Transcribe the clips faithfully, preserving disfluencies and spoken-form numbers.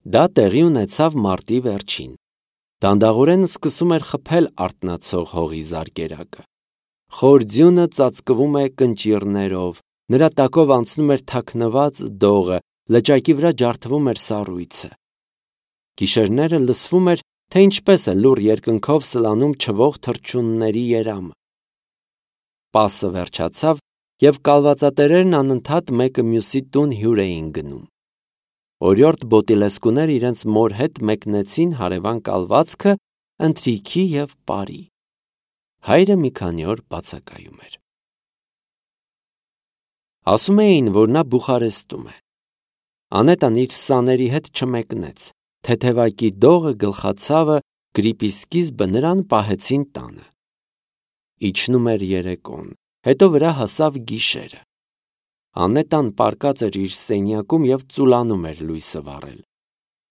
Դա տեղի ունեցավ մարտի վերջին։ Դանդաղորեն սկսում էր խփել արթնացող հողի զարկերակը։ Խոր ձյունը ծածկվում է կնճիռներով, նրա տակով անցնում էր թաքնված դողը, լճակի վրա ջարդվում էր սառույցը։ Գիշերները լսվում էր, թե ինչպես է լուռ երկնքով սլանում չվող թռչունների երամը։ Պասը վերջացավ, և կալվածատերերն անընդհատ մեկը մյուսի տուն հյուր էին գնում։ Օրիորդ բոտիլեսկուները իրենց մոր հետ մեկնեցին հարևան կալվածքը ընթրիքի և պարի։ Հայրը մի քանի օր բացակայում էր։ Ասում էին, որ նա Բուխարեստում է։ Անետան իր սաների հետ չմեկնեց։ Թեթևակի դողը, գլխացավը, գրիպի սկիզբը նրան պահեցին տանը։ Իջնում էր երեկոն, հետո վրա հասավ գիշերը։ Անետան պառկած էր իր սենյակում և ծուլանում էր լույսը վառել։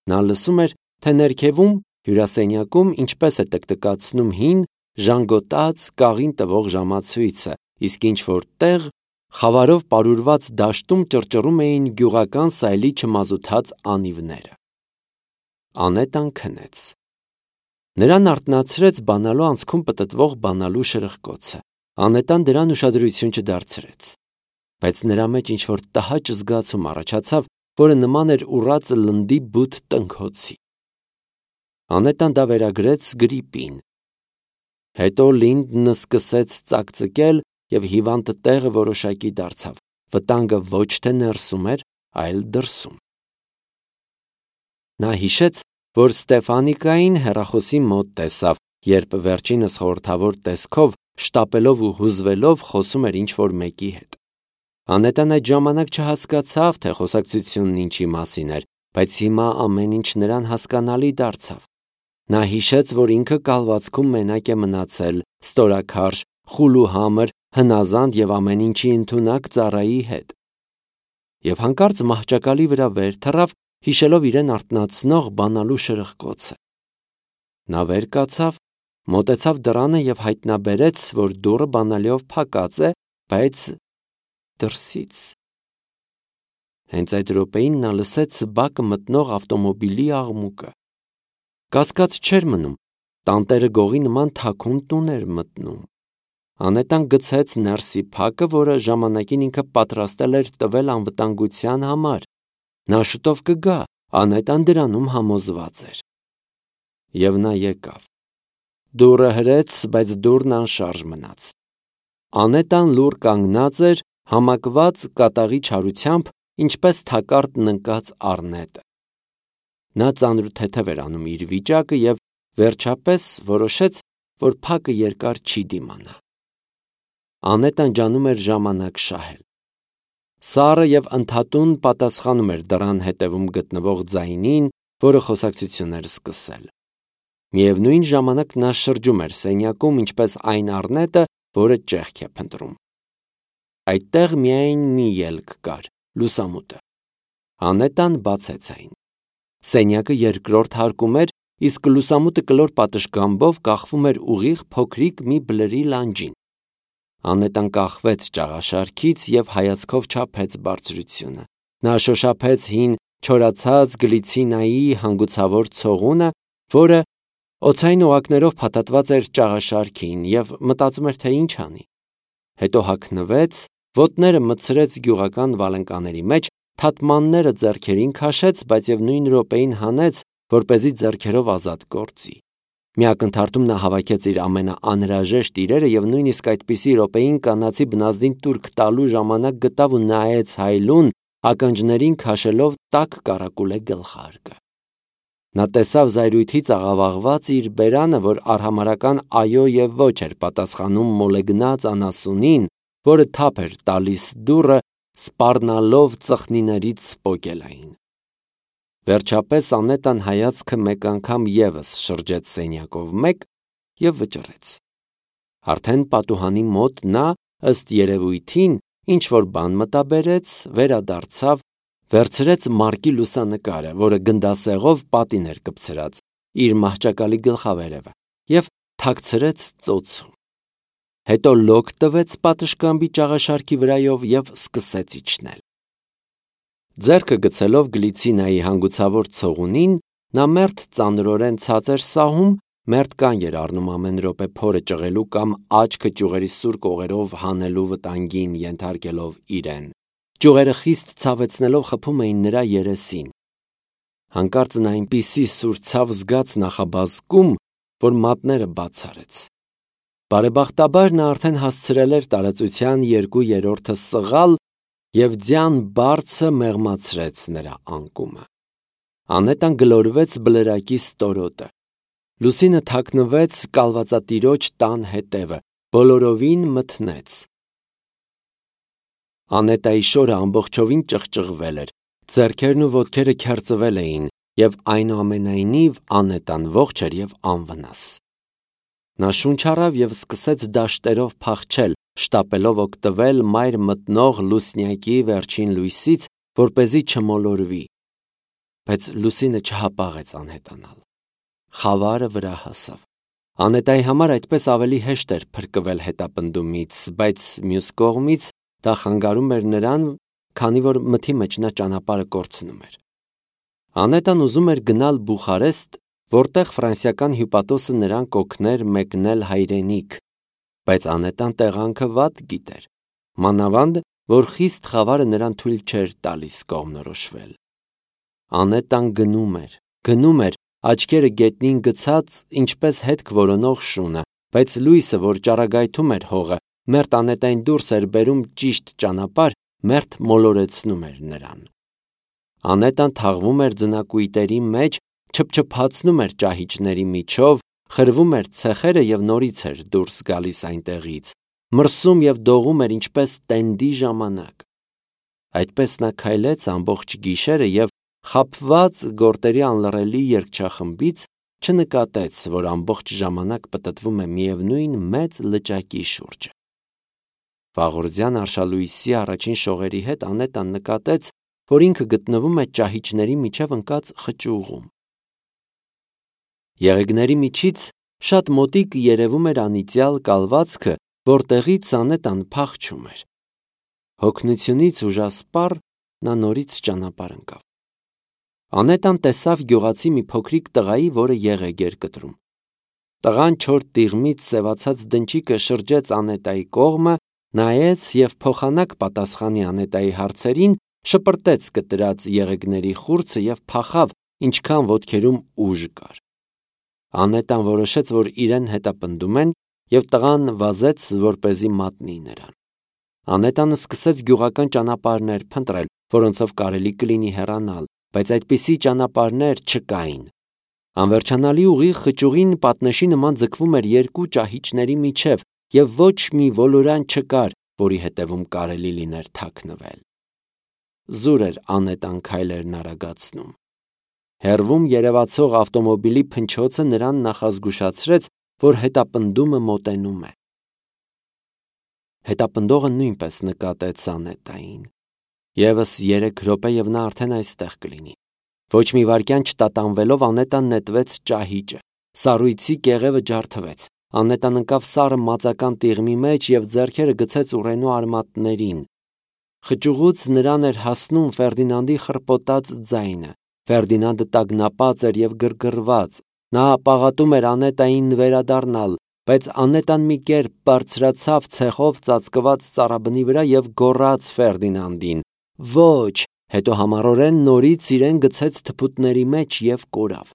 Նա լսում էր, թե ներքևում, հյուրասենյակում ինչպես է տկտկացնում հին, ժանգոտած, կաղին տվող ժամացույցը, իսկ ինչ-որ տեղ, խավարով պարուրված դաշտում ճռճռում էին գյուղական սայլի չմազութած անիվները։ Անետան քնեց։ Նրան արթնացրեց բանալու անցքում պտտվող բանալու շրխկոցը։ Անետան դրան ուշադրություն չդարձրեց։ Բայց նրա մեջ ինչ-որ տհաճ զգացում առաջացավ, որը նման էր ուռածը լնդի բութ տնքոցի։ Անետան դա վերագրեց գրիպին։ Հետո Լինդնը սկսեց ծակծկել, և հիվանդը տեղը որոշակի դարձավ։ Վտանգը ոչ թե ներսում էր, այլ դրսում։ Նա հիշեց, որ Ստեֆանիկային հեռախոսի մոտ տեսավ, երբ վերջինս խորհրդավոր տեսքով, շտապելով ու հուզվելով խոսում էր ինչ-որ մեկի հետ։ Անետան այդ ժամանակ չհասկացավ, թե խոսակցությունն ինչի մասին էր, բայց հիմա ամեն ինչ նրան հասկանալի դարձավ։ Նա հիշեց, որ ինքը կալվածքում մենակ է մնացել, ստորաքարշ, խուլ ու համր, հնազանդ և ամեն ինչի ընդունակ ծառայի հետ։ Եվ հանկարծ մահճակալի վրա վեր թռավ, հիշելով իրեն արթնացնող բանալու շրխկոցը։ Նա վեր կացավ, մոտեցավ դռանը և հայտնաբերեց, որ դուռը բանալիով փակած է, բայց դրսից։ Հենց այդ րոպեին նա լսեց բակը մտնող ավտոմոբիլի աղմուկը։ Կասկած չէր մնում, տանտերը գողի նման թաքուն տուն էր մտնում։ Անետան գցեց ներսի փակը, որը ժամանակին ինքը պատրաստել էր տվել անվտանգության համար։ Նա շուտով կգա, Անետան դրանում համոզված էր։ Եվ նա եկավ։ Դուռը հրեց, բայց դուռն անշարժ մնաց։ Անետան լուռ կանգնած էր, համակված կատաղի չարությամբ, ինչպես թակարդն ընկած առնետը։ Նա ծանրութեթև էր անում իր վիճակը և վերջապես որոշեց, որ փակը երկար չի դիմանա։ Անետան ջանում էր ժամանակ շահել։ Սառը և ընդհատուն պատասխանում էր դռան հետևում գտնվող ձայնին, որը խոսակցություն էր սկսել։ Միևնույն ժամանակ նա շրջում էր սենյակում, ինչպես այն առնետը, որը ճեղք է փնտրում։ Այդտեղ միայն մի ելք կար՝ լուսամուտը։ Անետան բացեց այն։ Սենյակը երկրորդ հարկում էր, իսկ լուսամուտը կլոր պատշգամբով կախվում էր ուղիղ փոքրիկ մի բլրի լանջին։ Անետան կախվեց ճաղաշարքից և հայացքով չափեց բարձրությունը։ Նա շոշափեց հին չորացած գլիցինայի հանգուցավոր ցողունը, որը օձային օղակներով փաթաթված էր ճաղաշարքին, և մտածում էր, թե ինչ անի։ Հետո հագնվեց, ոտները մտցրեց գյուղական վալենկաների մեջ, թաթմանները ձեռքերին քաշեց, բայց և նույն րոպեին հանեց, որպեսզի ձեռքերով ազատ գործի։ Մի ակնթարթում նա հավաքեց իր ամենաանհրաժեշտ իրերը և նույնիսկ այդպիսի րոպեին կանացի բնազդին տուրք տալու ժամանակ գտավ ու նայեց հայելուն, ականջներին քաշելով տաք կառակուլե գլխարկը։ Նա տեսավ զայրույթից աղավաղված իր բերանը, որ արհամարհական այո և ոչ էր պատասխանում մոլեգնած անասունին, որը թափ էր տալիս դուռը, սպառնալով ծխնիներից սպոկելային։ Վերջապես Անետան հայացքը մեկ անգամ ևս շրջեց սենյակով մեկ և վճռեց։ Արդեն պատուհանի մոտ նա, ըստ երևույթին, ինչ-որ բան մտաբերեց, վերադարձավ, վերցրեց մարկի լուսանկարը, որը գնդասեղով պատին էր կպցրած, իր մահճակալի գլխավերևը, և թաքցրեց ծոցում։ Հետո լոկ տվեց պատշգամբի ճաղաշարքի վրայով և սկսեց իջնել։ Ձեռքը գցելով Գլիցինայի հանգուցավոր ցողունին, նա մերթ ծանրորեն ցած էր սահում, մերթ կան էր առնում ամեն րոպե փորը ճղելու կամ աչքը ճյուղերի սուր կողերով հանելու վտանգին ենթարկելով իրեն։ Ճյուղերը խիստ ցավեցնելով խփում էին նրա երեսին։ Հանկարծ նա այնպիսի սուր ցավ զգաց նախաբազկում, որ մատները բաց արեց։ Բարեբախտաբար նա արդեն հասցրել էր տարածության երկու երրորդը սղալ և ձյան բարձը մեղմացրեց նրա անկումը։ Անետան գլորվեց բլրակի ստորոտը։ Լուսինը թաքնվեց կալվածատիրոջ տան հետևը, բոլորովին մթնեց։ Անետայի շորը ամբողջովին ճղճղվել էր, ձեռքերն ու ոտքերը քերծվել էին, և այնուամենայնիվ Անետան ողջ էր և անվնաս։ Նա շունչ առավ և սկսեց դաշտերով փախչել, շտապելով օգտվել մայր մտնող լուսնյակի վերջին լույսից, որպեսզի չմոլորվի։ Բայց լուսինը չհապաղեց անհետանալ։ Խավարը վրա հասավ։ Անետայի համար այդպես ավելի հեշտ էր փրկվել հետապնդումից, բայց մյուս կողմից դա խանգարում էր նրան, քանի որ մթի մեջ նա ճանապարհը կորցնում էր։ Անետան ուզում էր գնալ Բուխարեստ, որտեղ ֆրանսիական հյուպատոսը նրան կօգներ մեկնել հայրենիք, բայց Անետան տեղանքը վատ գիտեր, մանավանդ, որ խիստ խավարը նրան թույլ չէր տալիս կողմնորոշվել։ Անետան գնում էր, գնում էր, աչքերը գետնին գցած, ինչպես հետք որոնող շունը, բայց լույսը, որ ճառագայթում էր հողը, մերթ Անետային դուրս էր բերում ճիշտ ճանապարհ, մերթ մոլորեցնում էր նրան։ Անետան թաղվում էր ձնակույտերի մեջ, չփչփացնում էր ճահիճների միջով, խրվում էր ցեխերը և նորից էր դուրս գալիս այնտեղից, մրսում և դողում էր ինչպես տենդի ժամանակ։ Այդպես նա քայլեց ամբողջ գիշերը և, խաբված գորտերի անլռելի երգչախմբից, չնկատեց, որ ամբողջ ժամանակ պտտվում է միևնույն մեծ լճակի շուրջը։ Վաղորդյան արշալույսի առաջին շողերի հետ Անետան նկատեց, որ ինքը գտնվում է ճահիճների միջև ընկած խճուղում։ Եղեգների միջից շատ մոտիկ երևում էր անիծյալ կալվածքը, որտեղից Անետան փախչում էր։ Հոգնությունից ուժասպառ նա նորից ճանապարհ ընկավ։ Անետան տեսավ գյուղացի մի փոքրիկ տղայի, որը եղեգ էր կտրում։ Տղան չոր տիղմից սևացած դնչիկը շրջեց Անետայի կողմը, նայեց և փոխանակ պատասխանի Անետայի հարցերին, շպրտեց կտրած եղեգների խուրձը և փախավ, ինչքան ոտքերում ուժ կար։ Անետան որոշեց, որ իրեն հետապնդում են, և տղան վազեց, որպեսզի մատնի նրան։ Անետանը սկսեց գյուղական ճանապարհներ փնտրել, որոնցով կարելի կլինի հեռանալ, բայց այդպիսի ճանապարհներ չկային։ Անվերջանալի ուղիղ խճուղին պատնեշի նման ձգվում էր երկու ճահիճների միջև, և ոչ մի ոլորան չկար, որի հետևում կարելի լիներ թաքնվել։ Զուր էր Անետան քայլերն արագացնում։ Հեռվում երևացող ավտոմոբիլի փնչոցը նրան նախազգուշացրեց, որ հետապնդումը մոտենում է։ Հետապնդողը նույնպես նկատեց Անետային։ Եվս երեք րոպե և նա արդեն այստեղ կլինի։ Ոչ մի վայրկյան չտատանվելով Անետան նետվեց ճահիճը։ Սառույցի կեղևը ջարդվեց։ Անետան ընկավ սառը մածական տիղմի մեջ և ձեռքերը գցեց ուռենու արմատներին։ Խճուղուց նրան էր հասնում Ֆերդինանդի խռպոտած ձայնը։ Ֆերդինանդը տագնապած էր և գրգռված։ Նա պաղատում էր Անետային վերադառնալ, բայց Անետան մի կերպ բարձրացավ ցեխով ծածկված ծառաբնի վրա և գոռաց Ֆերդինանդին. «Ոչ», հետո համառորեն նորից իրեն գցեց թփուտների մեջ և կորավ։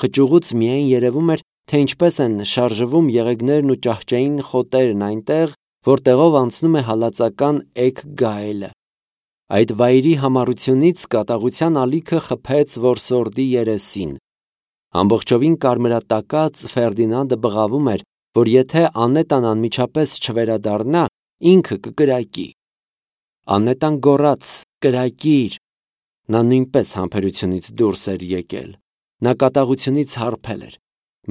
Խճուղուց միայն երևում էր, թե ինչպես են շարժվում եղեգներն ու ճահճային խոտերն այնտեղ, որտեղով անցնում է հալածական էգ գայլը։ Այդ վայրի համառությունից կատաղության ալիքը խփեց որսորդի երեսին։ Ամբողջովին կարմրատակած Ֆերդինանդը բղավում էր, որ եթե Անետան անմիջապես չվերադառնա, ինքը կկրակի։ Անետան գոռաց. «Կրակիր»։ Նա նույնպես համբերությունից դուրս էր եկել։ Նա կատաղությունից հարբել էր։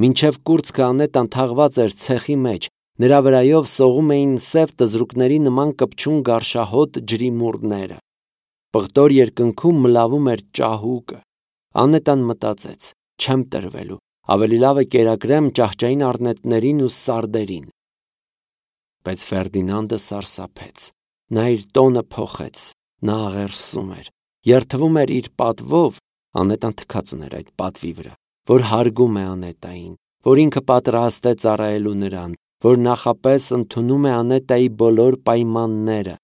Մինչև կուրծքը Անետան թաղված էր ցեխի մեջ, նրա վրայով սողում էին սև տզրուկների նման կպչուն գարշահոտ ջրիմուռները։ Պղտոր երկնքում մլավում էր ճահուկը։ Անետան մտածեց. «Չեմ տրվելու, ավելի լավ է կերակրեմ ճահճային առնետներին ու սարդերին»։ Բայց Ֆերդինանդը սարսափեց։ Նա իր տոնը փոխեց։ Նա աղերսում էր։ երթվում էր իր պատվով, Անետան թքած ուներ այդ պատվի վրա, որ հարգում է Անետային, որ ինքը պատրաստ է ծառայելու նրան, որ նախապես ընդունում է Անետայի բոլոր պայմանները։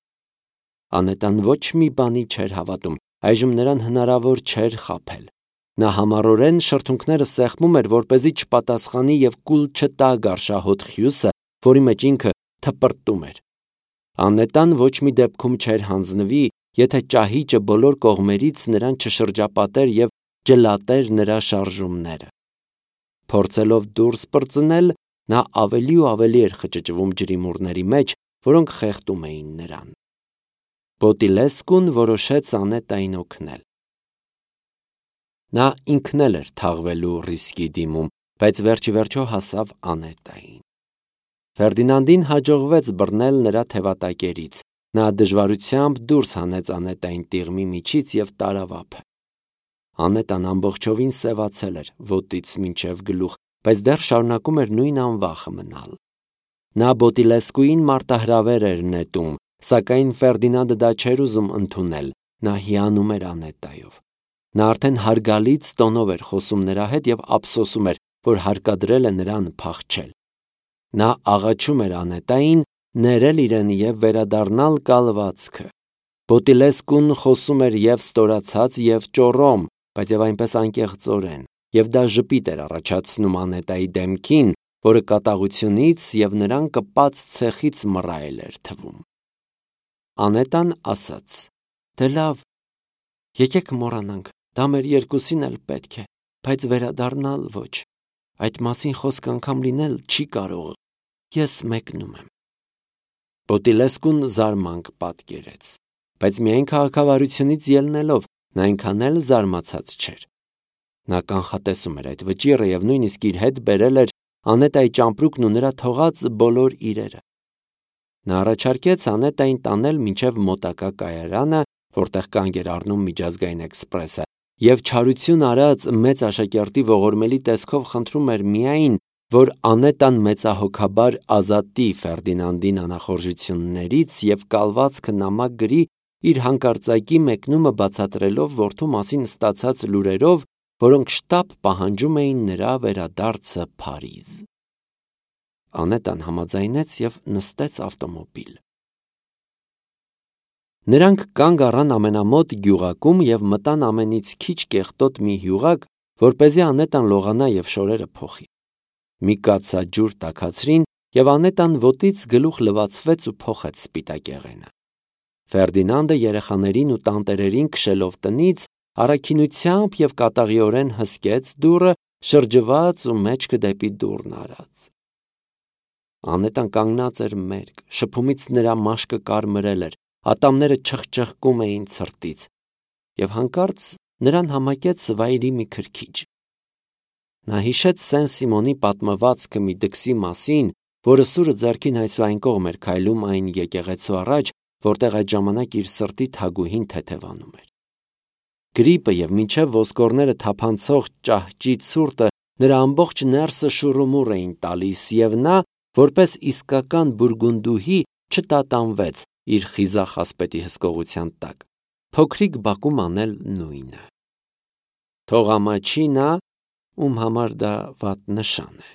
Անետան ոչ մի բանի չէր հավատում, այժմ նրան հնարավոր չէր խաբել։ Նա համառորեն շրթունքները սեղմում էր, որպեսզի չպատասխանի եւ կուլ չտա գարշահոտ խյուսը, որի մեջ ինքը թպրտում էր։ Անետան ոչ մի դեպքում չէր հանձնվի, եթե ճահիճը բոլոր կողմերից նրան չշրջապատեր եւ ջլատեր նրա շարժումները։ Փորձելով դուրս պրծնել, նա ավելի ու ավելի էր խճճվում ջրիմուռների մեջ, որոնք խեղդում էին նրան։ Բոտիլեսկուն որոշեց Անետային օգնել։ Նա ինքն էլ էր թաղվելու ռիսկի դիմում, բայց վերջիվերջո հասավ Անետային։ Ֆերդինանդին հաջողվեց բռնել նրա թևատակերից։ Նա դժվարությամբ դուրս հանեց Անետային տիղմի միջից եւ տարավ ափը։ Անետան ամբողջովին սևացել էր ոտից մինչև գլուխ, բայց դեռ շարունակում էր նույն անվախը մնալ։ Նա Բոտիլեսկուին մարտահրավեր էր նետում, սակայն Ֆերդինանդը դա չէր ուզում ընդունել, նա հիանում էր Անետայով։ Նա արդեն հարգալից տոնով էր խոսում նրա հետ եւ ափսոսում էր, որ հարկադրել է նրան փախչել։ Նա աղաչում էր Անետային ներել իրեն եւ վերադառնալ կալվածքը։ Բոտիլեսկուն խոսում էր եւ ստորացած եւ ճոռոմ, բայց եւ այնպես անկեղծորեն, եւ դա ժպիտ էր առաջացնում Անետայի դեմքին, որը կատաղությունից եւ նրան կպած ցեխից մռայլ էր թվում։ Անետան ասաց. «Դե լավ, եկեք մոռանանք, դա մեր երկուսին էլ պետք է, բայց վերադառնալ ոչ։ Այդ մասին խոսք անգամ լինել չի կարող։ Ես մեկնում եմ»։ Բոտիլեսկուն զարմանք պատկերեց, բայց միայն քաղաքավարությունից ելնելով նա այնքան էլ զարմացած չէր։ Նա կանխատեսում էր այդ վճիռը եւ նույնիսկ իր հետ բերել էր Անետայի ճամպրուկն ու նրա թողած բոլոր իրերը։ Նա առաջարկեց Անետային տանել մինչև մոտակա կայարանը, որտեղ կանգ էր առնում միջազգային էքսպրեսը, եւ չարություն արած մեծ աշակերտի ողորմելի տեսքով խնդրում էր միայն, որ Անետան մեծահոգաբար ազատի Ֆերդինանդին անախորժություններից եւ կալվածքը նամակ գրի իր հանկարծակի մեկնումը բացատրելով որդու մասին ստացած լուրերով, որոնք շտապ պահանջում էին նրա վերադարձը Փարիզ։ Անետան համաձայնեց եւ նստեց ավտոմոբիլ։ Նրանք կանգ առան ամենամոտ գյուղակում եւ մտան ամենից քիչ կեղտոտ մի հյուղակ, որպեսզի Անետան լողանա եւ շորերը փոխի։ Մի կաթսա ջուր տաքացրին եւ Անետան ոտից գլուխ լվացվեց ու փոխեց սպիտակեղենը։ Ֆերդինանդը երեխաներին ու տանտերերին քշելով տնից առաքինությամբ եւ կատաղիորեն հսկեց դուռը, շրջված ու մեջքը դեպի դուռն արած։ Անետան կանգնած էր մերկ, շփումից նրա մաշկը կարմրել էր, ատամները չխչխկում էին ցրտից, եւ հանկարծ նրան համակեց վայրի մի քրքիջ։ Նա հիշեց Սեն Սիմոնի պատմվածքը մի դքսի մասին, որը սուրը ձեռքին այսուայն կողմ էր քայլում այն եկեղեցու առաջ, որտեղ այդ ժամանակ իր սրտի թագուհին թեթևանում էր։ Գրիպը եւ մինչև ոսկորները թափանցող ճահճի ցուրտը նրա ամբողջ ներսը շուռումուռ էին տալիս, եւ նա, որպես իսկական բուրգունդուհի, չտատանվեց իր խիզախ ասպետի հսկողության տակ, փոքրիկ բակում անել նույնը։ Թող ամաչի նա, ում համար դա վատ նշան է։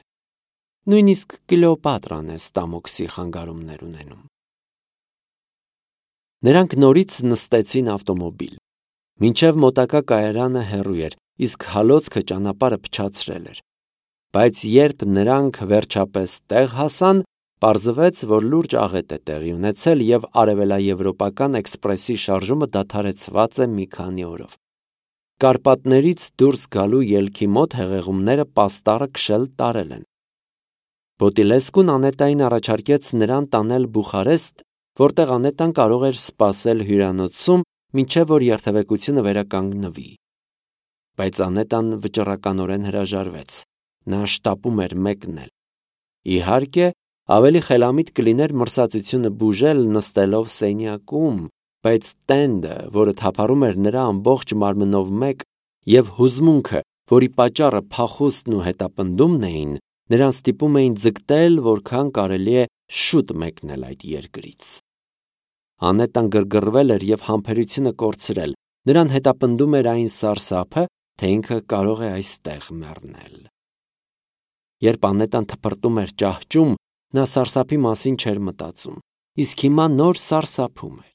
Նույնիսկ Կլեոպատրան է Ստամոքսի խանգարումներ ունենում։ Նրանք նորից նստեցին ավտոմոբիլ։ Մինչև մոտակա կայարանը հեռու էր, իսկ հալոցքը ճանապարհը փչացրել էր։ Բայց երբ նրանք վերջապես տեղ հասան, պարզվեց, որ լուրջ աղետ է տեղի ունեցել եւ արևելաեվրոպական էքսպրեսի շարժումը դադարեցված է մի քանի օրով։ Կարպատներից դուրս գալու ելքի մոտ հեղեղումները պաստառը քշել տարել են։ Բոտիլեսկուն Անետային առաջարկեց նրան տանել Բուխարեստ, որտեղ Անետան կարող էր սպասել հյուրանոցում, մինչև որ երթևեկությունը վերականգնվի։ Բայց Անետան վճռականորեն հրաժարվեց։ Նա շտապում էր մեկնել։ Իհարկե, ավելի խելամիտ կլիներ մրսածությունը բուժել նստելով սենյակում, բայց տենդը, որը թափառում էր նրա ամբողջ մարմնով մեկ, եւ հուզմունքը, որի պատճառը փախուստն ու հետապնդումն էին, նրան ստիպում էին ձգտել, որքան կարելի է շուտ մեկնել այդ երկրից։ Անետան գրգռվել էր եւ համբերությունը կորցրել։ Նրան հետապնդում էր այն սարսափը, թե ինքը կարող է այստեղ մեռնել։ Երբ Անետան թփրտում էր ճահճում, նա սարսափի մասին չէր մտածում, իսկ հիմա նոր սարսափում էր։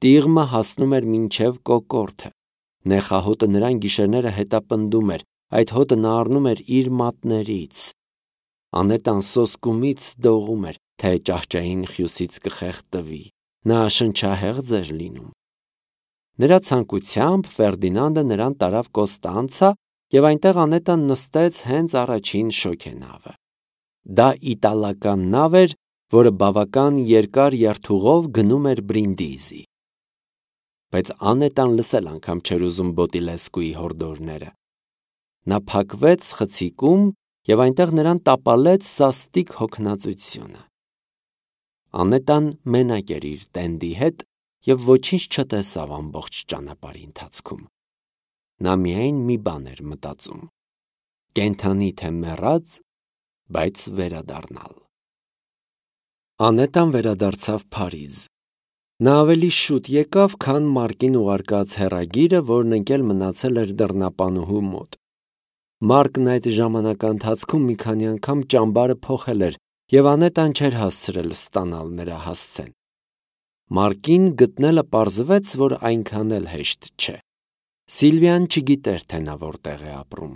Տիղմը հասնում էր մինչև կոկորդը։ Նեխահոտը նրան գիշերները հետապնդում էր, այդ հոտը նա առնում էր իր մատներից։ Անետան սոսկումից դողում էր, թե ճահճային խյուսից կխեղդվի։ Նա շնչահեղձ էր լինում։ Նրա ցանկությամբ Ֆերդինանդը նրան տարավ Կոստանցա և այնտեղ Անետան նստեց հենց առաջին շոգենավը։ Դա իտալական նավ էր, որը բավական երկար երթուղով գնում էր Բրինդիզի։ Բայց Անետան լսել անգամ չէր ուզում Բոտիլեսկուի հորդորները։ Նա փակվեց խցիկում և այնտեղ նրան տապալեց սաստիկ հոգնածությունը։ Անետան մենակ էր իր տենդի հետ և ոչինչ չտեսավ ամբողջ ճանապարհի ընթացքում։ Նա միայն մի բան էր մտածում. կենդանի թե մեռած, բայց վերադառնալ։ Անետան վերադարձավ Փարիզ։ Նա ավելի շուտ եկավ, քան Մարկին ուղարկած հեռագիրը, որն ընկել մնացել էր դռնապանուհու մոտ։ Մարկն այդ ժամանակահատվածում մի քանի անգամ ճամբարը փոխել էր, և Անետան չէր հասցրել ստանալ նրա հասցեն։ Մարկին գտնելը պարզվեց, որ այնքան էլ հեշտ չէ։ Սիլվիան չգիտեր, թե նա որտեղ է ապրում։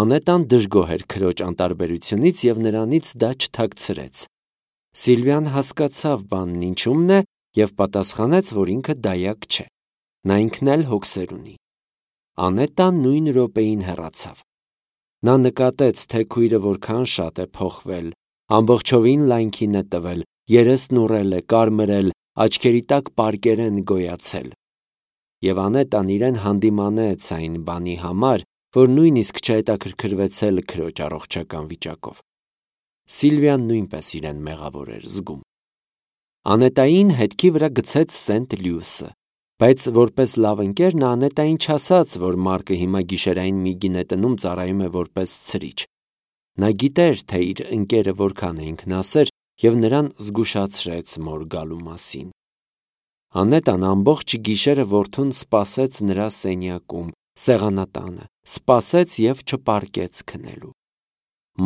Անետան դժգոհ էր քրոջ անտարբերությունից և նրանից դա չթաքցրեց։ Սիլվիան հասկացավ բանն ինչումն է և պատասխանեց, որ ինքը դայակ չէ։ Նա ինքն էլ հոգսեր ունի։ Անետան նույն րոպեին հեռացավ։ Նա նկատեց, թե քույրը որքան շատ է փոխվել, ամբողջովին լայնքին է տվել, երեսն ուռել է, կարմրել, աչքերի տակ պարկեր են գոյացել։ Եվ Անետան իրեն հանդիմանեց այն բանի համար, որ նույնիսկ չհետաքրքրվեցել քրոջ առողջական վիճակով։ Սիլվիան նույնպես իրեն մեղավոր էր զգում։ Անետային հետքի վրա գցեց Սենտ Լյուիսը, բայց որպես լավ ընկեր նա Անետային չասաց, որ Մարկը հիմա գիշերային մի գինետնում ծառայում է որպես ցրիչ։ Նա գիտեր, թե իր ընկերը որքան է ինքնասեր և նրան զգուշացրեց մոր գալու մասին։ Անետան ամբողջ գիշերը որդուն սպասեց նրա սենյակում, սեղանատանը, սպասեց և չպարկեց քնելու։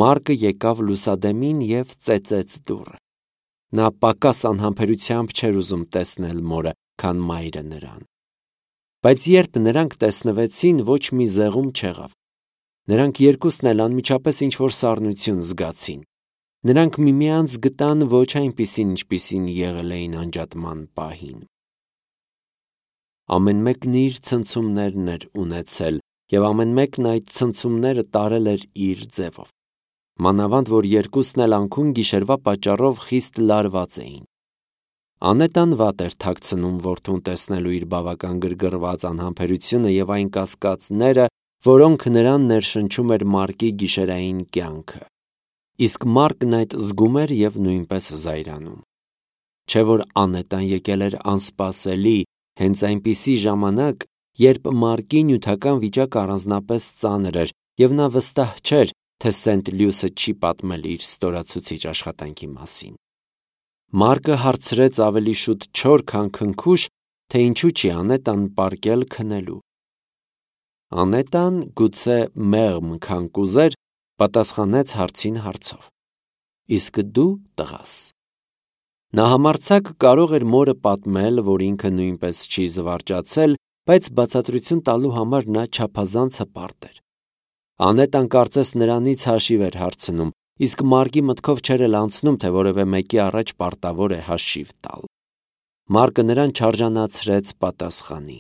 Մարկը եկավ լուսադեմին և ծեծեց դուռը։ Նա պակաս անհամբերությամբ չէր ուզում տեսնել մորը, քան մայրը նրան։ Բայց երբ նրանք տեսնվեցին, ոչ մի զեղում չեղավ։ Նրանք երկուսն էլ անմիջապես ինչ-որ սառնություն զգացին։ Նրանք միմյանց գտան ոչ այնպիսին, ինչպիսին եղել էին անջատման պահին։ Ամեն մեկն իր ցնցումներն էր ունեցել, և ամեն մեկն այդ ցնցումները տարել էր իր ձևով։ Մանավանդ որ երկուսն էլ անքուն գիշերվա պատճառով խիստ լարված էին։ Անետան վատ էր թաքցնում որդուն տեսնելու իր բավական գրգռված անհամբերությունը և այն կասկածները, որոնք նրան ներշնչում էր Մարկի գիշերային կյանքը։ Իսկ Մարկն այդ զգում էր և նույնպես զայրանում։ Չէ՞ որ Անետան եկել էր անսպասելի, հենց այնպիսի ժամանակ, երբ Մարկի նյութական վիճակը առանձնապես ծանր էր, և նա վստահ չէր, թե Սենտ Լյուիսը չի պատմել իր ստորացուցիչ աշխատանքի մասին։ Մարկը հարցրեց ավելի շուտ չոր, քան քնքուշ, թե ինչու չի Անետան պարկել քնելու։ Անետան, գուցե մեղմ, քան կուզեր, պատասխանեց հարցին հարցով. Իսկ դու տղաս։ Նա համարձակ կարող էր մորը պատմել, որ ինքը նույնպես չի զվարճացել, բայց բացատրություն տալու համար նա չափազանց հպարտ էր։ Անետան կարծես նրանից հաշիվ էր հարցնում, իսկ Մարկի մտքով չէր էլ անցնում, թե որևէ մեկի առաջ պարտավոր է հաշիվ տալ։ Մարկը նրան չարժանացրեց պատասխանի։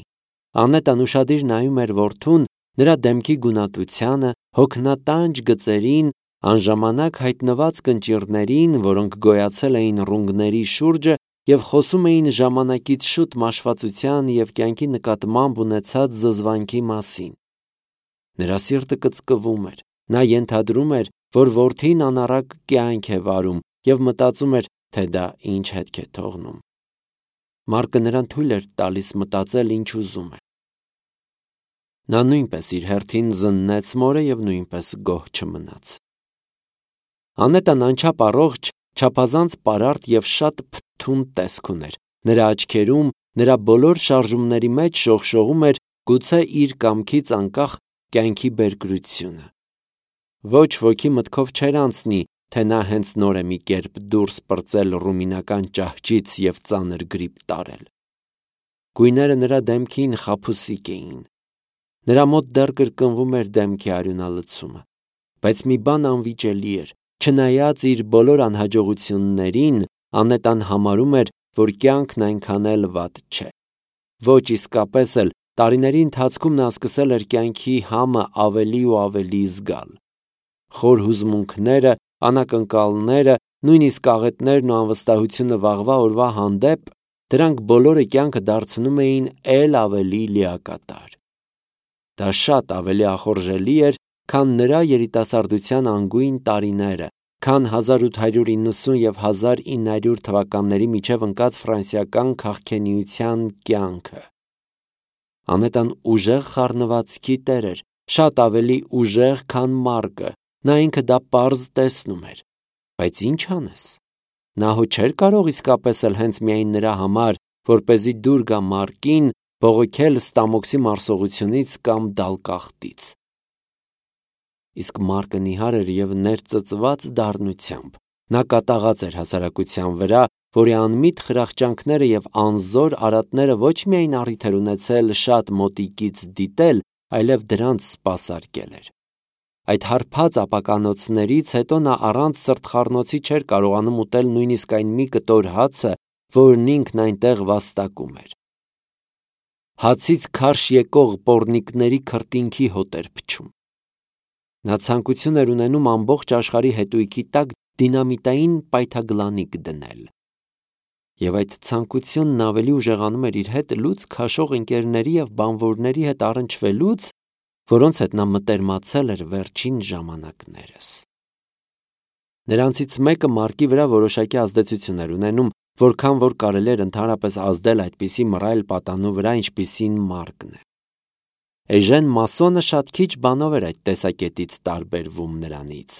Անետան ուշադիր նայում էր որդուն, նրա դեմքի գունատությանը, հոգնատանջ գծերին, անժամանակ հայտնված կնճիռներին, որոնք գոյացել էին ռունգների շուրջը և խոսում էին ժամանակից շուտ մաշվածության և կյանքի նկատմամբ ունեցած զզվանքի մասին։ Նրա սիրտը կծկվում էր։ Նա ենթադրում էր, որ որդին անառակ կյանք է վարում և մտածում էր, թե դա ինչ հետք է թողնում։ Մարկը նրան թույլ էր տալիս մտածել, ինչ ուզում է։ Նա նույնպես իր հերթին զննեց մորը և նույնպես գոհ չմնաց։ Անետան անչափ առողջ, չափազանց պարարտ և շատ փթթուն տեսք ուներ։ Նրա աչքերում, նրա բոլոր շարժումների մեջ շողշողում էր գուցե իր կամքից անկախ կյանքի բերկրությունը։ Ոչ ոքի մտքով չէր անցնի, թե նա հենց նոր է մի կերպ դուրս պրծել ռումինական ճահճից և ծանր գրիպ տարել։ Գույները նրա դեմքին խաբուսիկ էին։ Նրա մոտ դեռ կրկնվում էր դեմքի արյունալցումը, բայց մի բան անվիճելի էր, չնայած իր բոլոր անհաջողություններին, Անետան համարում էր, որ կյանքն այնքան էլ վատ չէ։ Ոչ իսկապես էլ տարիների ընթացքում նա սկսել էր կյանքի համը ավելի ու ավելի զգալ։ Խոր հուզմունքները, անակնկալները, նույնիսկ աղետներն ու անվստահությունը վաղվա օրվա հանդեպ, դրանք բոլորը կյանքը դարձնում էին էլ ավելի լիակատար։ Դա շատ ավելի ախորժելի էր, քան նրա երիտասարդության անգույն տարիները, քան հազար ութ հարյուր իննսուն և հազար ինը հարյուր թվականների միջև ընկած ֆրանսիական քաղքենիության կյանքը։ Անետան ուժեղ խառնվածքի տեր էր, շատ ավելի ուժեղ, քան Մարկը, նա ինքը դա պարզ տեսնում էր, բայց ինչ անես։ Նա հո չէր կարող իսկապես էլ հենց միայն նրա համար, որպեսզի դուր գա Մարկին, բողոքել Ստամոքսի մարսողությունից կամ դալկախտից։ Իսկ Մարկը նիհար էր և ներծծված դառնությամբ։ Նա կատաղած էր հասարակության վրա, որի անմիտ խրախճանքները և անզոր արատները ոչ միայն առիթ էր ունեցել շատ մոտիկից դիտել, այլև դրանց սպասարկել էր։ Այդ հարբած ապականոցներից հետո նա առանց սրտխառնոցի չէր կարողանում ուտել նույնիսկ այն մի կտոր հացը, որն ինքն այնտեղ վաստակում էր։ Հացից քարշ եկող պոռնիկների քրտինքի հոտ էր փչում։ Նա ցանկություն էր ունենում ամբողջ աշխարհի հետույքի տակ դինամիտային պայթագլանիկ դնել։ Եվ այդ ցանկությունն ավելի ուժեղանում էր իր հետ լուծ քաշող ընկերների և բանվորների հետ առնչվելուց, որոնց հետ նա մտերմացել էր վերջին ժամանակներս։ Նրանցից մեկը Մարկի վրա որոշակի ազդեցություն էր ունենում, որքան որ կարելի էր ընդհանրապես ազդել այդպիսի մռայլ պատանու վրա, ինչպիսին Մարկն է։ Էժեն Մասոնը շատ քիչ բանով էր այդ տեսակետից տարբերվում նրանից։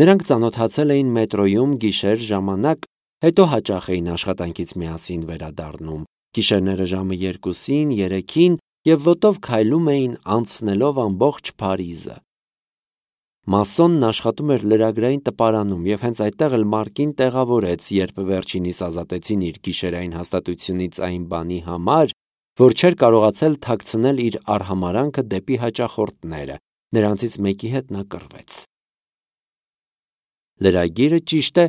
Նրանք ծանոթացել էին մետրոյում գիշեր ժամանակ, հետո հաճախ էին աշխատանքից միասին վերադառնում, գիշերները ժամը երկուսին, երեքին և ոտով քայլում էին անցնելով ամբողջ Փարիզը։ Մասոնն աշխատում էր լրագրային տպարանում և հենց այդտեղ էլ Մարկին տեղավորեց, երբ վերջինիս ազատեցին իր գիշերային հաստատությունից այն բանի համար, որ չէր կարողացել թաքցնել իր արհամարհանքը դեպի հաճախորդները, նրանցից մեկի հետ նա կռվեց։ Լրագիրը, ճիշտ է,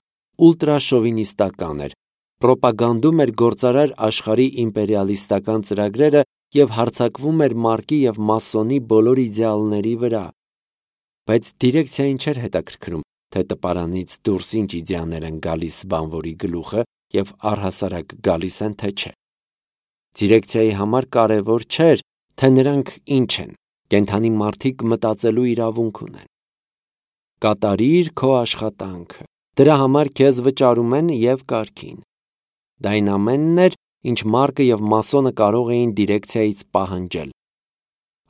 ուլտրաշովինիստական էր, պրոպագանդում էր գործարար աշխարհի իմպերիալիստական ծրագրերը և հարձակվում էր Մարկի և Մասոնի բոլոր իդեալների վրա։ Բայց դիրեկցիային չէր հետաքրքրում, թե տպարանից դուրս ինչ իդեաներ են գալիս բանվորի գլուխը և առհասարակ գալիս են, թե չէ։ Դիրեկցիայի համար կարևոր չէր, թե նրանք ինչ են, կենդանի մարդիկ մտածելու իրավունք ունեն։ Կատարիր քո աշխատանքը, դրա համար քեզ վճարում են և կարգին։ Դա այն ամենն էր, ինչ Մարկը և Մասոնը կարող էին դիրեկցիայից պահանջել։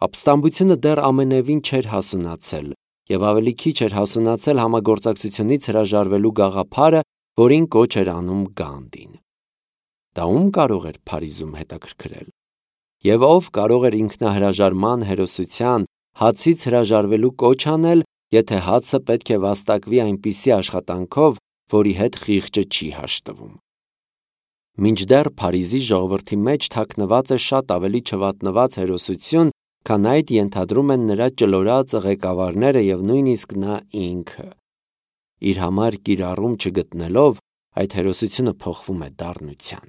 Ապստամբությունը դեռ ամենևին չէր հասունացել, և ավելի քիչ էր հասունացել համագործակցությունից հրաժարվելու գաղափարը, որին կոչ էր անում Գանդին։ Դա ում կարող էր Փարիզում հետաքրքրել։ Եվ ով կարող էր ինքնահրաժարման հերոսության, հացից հրաժարվելու կոչ անել, եթե հացը պետք է վաստակվի այնպիսի աշխատանքով, որի հետ խիղճը չի հաշտվում։ Մինչդեռ Փարիզի ժողովրդի մեջ թաքնված է շատ ավելի չվատնված հերոսություն, քան այդ ենթադրում են նրա ճլորած ղեկավարները և նույնիսկ նա ինքը։ Իր համար կիրառում չգտնելով, այդ հերոսությունը փոխվում է դառնության։